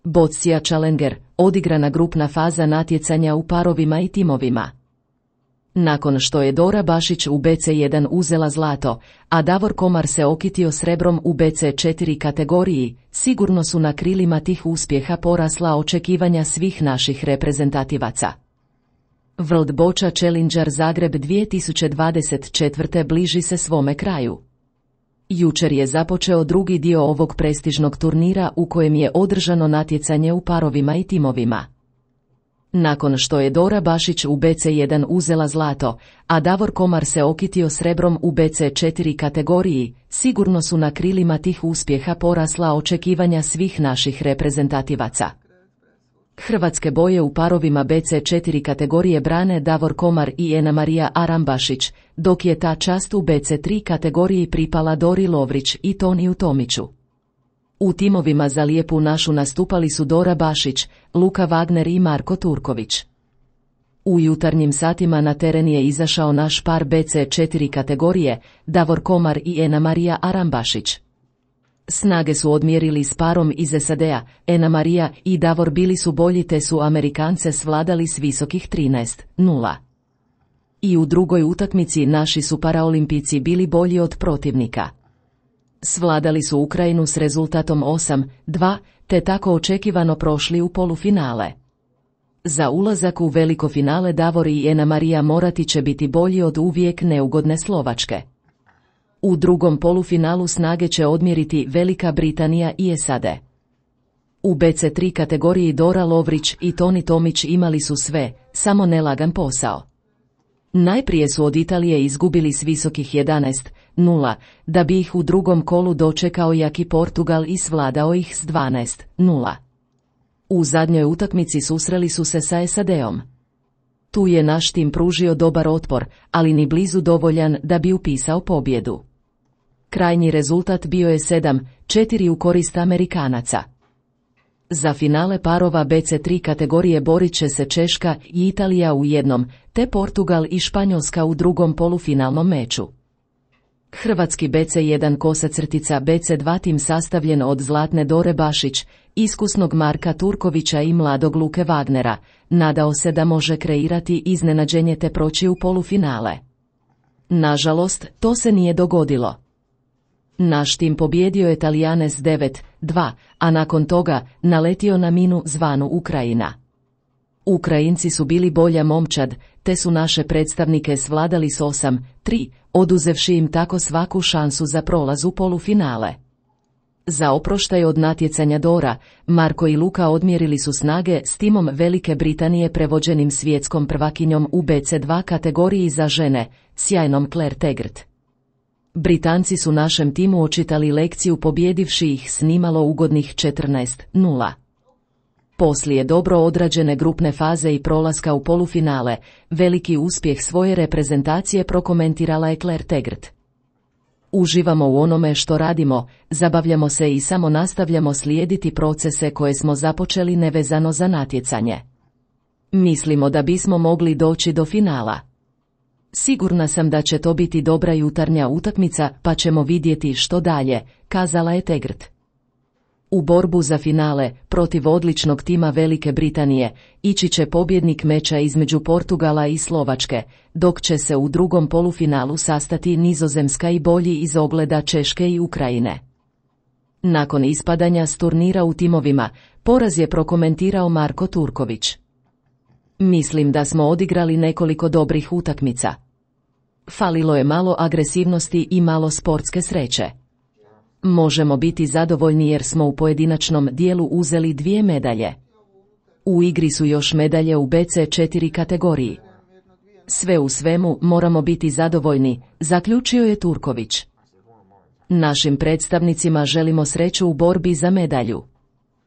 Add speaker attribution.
Speaker 1: Bocija Challenger, odigrana grupna faza natjecanja u parovima i timovima. Nakon što je Dora Bašić u BC1 uzela zlato, a Davor Komar se okitio srebrom u BC4 kategoriji, sigurno su na krilima tih uspjeha porasla očekivanja svih naših reprezentativaca. World Boća Challenger Zagreb 2024. bliži se svome kraju. Jučer je započeo drugi dio ovog prestižnog turnira u kojem je održano natjecanje u parovima i timovima. Nakon što je Dora Bašić u BC1 uzela zlato, a Davor Komar se okitio srebrom u BC4 kategoriji, sigurno su na krilima tih uspjeha porasla očekivanja svih naših reprezentativaca. Hrvatske boje u parovima BC4 kategorije brane Davor Komar i Anamarija Arambašić, dok je ta čast u BC3 kategoriji pripala Dori Lovrić i Toniju Tomiću. U timovima za lijepu našu nastupali su Dora Bašić, Luka Wagner i Marko Turković. U jutarnjim satima na teren je izašao naš par BC4 kategorije, Davor Komar i Anamarija Arambašić. Snage su odmjerili s parom iz SAD-a, Anamarija i Davor bili su bolji te su Amerikance svladali s visokih 13:0. I u drugoj utakmici naši su paraolimpijci bili bolji od protivnika. Svladali su Ukrajinu s rezultatom 8:2, te tako očekivano prošli u polufinale. Za ulazak u veliko finale Davor i Anamarija morati će biti bolji od uvijek neugodne Slovačke. U drugom polufinalu snage će odmjeriti Velika Britanija i SAD. U BC3 kategoriji Dora Lovrić i Toni Tomić imali su sve, samo nelagan posao. Najprije su od Italije izgubili s visokih 11:0, da bi ih u drugom kolu dočekao jaki Portugal i svladao ih s 12:0. U zadnjoj utakmici susreli su se sa SAD-om. Tu je naš tim pružio dobar otpor, ali ni blizu dovoljan da bi upisao pobjedu. Krajnji rezultat bio je 7:4 u korist Amerikanaca. Za finale parova BC3 kategorije borit će se Češka i Italija u jednom, te Portugal i Španjolska u drugom polufinalnom meču. Hrvatski BC1 BC2 tim sastavljen od zlatne Dore Bašić, iskusnog Marka Turkovića i mladog Luke Wagnera, nadao se da može kreirati iznenađenje te proći u polufinale. Nažalost, to se nije dogodilo. Naš tim pobjedio je Talijane s 9:2, a nakon toga naletio na minu zvanu Ukrajina. Ukrajinci su bili bolja momčad, te su naše predstavnike svladali s 8:3, oduzevši im tako svaku šansu za prolaz u polufinale. Za oproštaj od natjecanja Dora, Marko i Luka odmjerili su snage s timom Velike Britanije prevođenim svjetskom prvakinjom u BC2 kategoriji za žene, sjajnom Claire Tegart. Britanci su našem timu očitali lekciju pobjedivši ih s nimalo ugodnih 14:0. Poslije dobro odrađene grupne faze i prolaska u polufinale, veliki uspjeh svoje reprezentacije prokomentirala je Claire Tegart. Uživamo u onome što radimo, zabavljamo se i samo nastavljamo slijediti procese koje smo započeli nevezano za natjecanje. Mislimo da bismo mogli doći do finala. Sigurna sam da će to biti dobra jutarnja utakmica, pa ćemo vidjeti što dalje, kazala je Tegart. U borbu za finale, protiv odličnog tima Velike Britanije, ići će pobjednik meča između Portugala i Slovačke, dok će se u drugom polufinalu sastati Nizozemska i bolji iz ogleda Češke i Ukrajine. Nakon ispadanja s turnira u timovima, poraz je prokomentirao Marko Turković. Mislim da smo odigrali nekoliko dobrih utakmica. Falilo je malo agresivnosti i malo sportske sreće. Možemo biti zadovoljni jer smo u pojedinačnom dijelu uzeli 2 medalje. U igri su još medalje u BC4 kategoriji. Sve u svemu moramo biti zadovoljni, zaključio je Turković. Našim predstavnicima želimo sreću u borbi za medalju.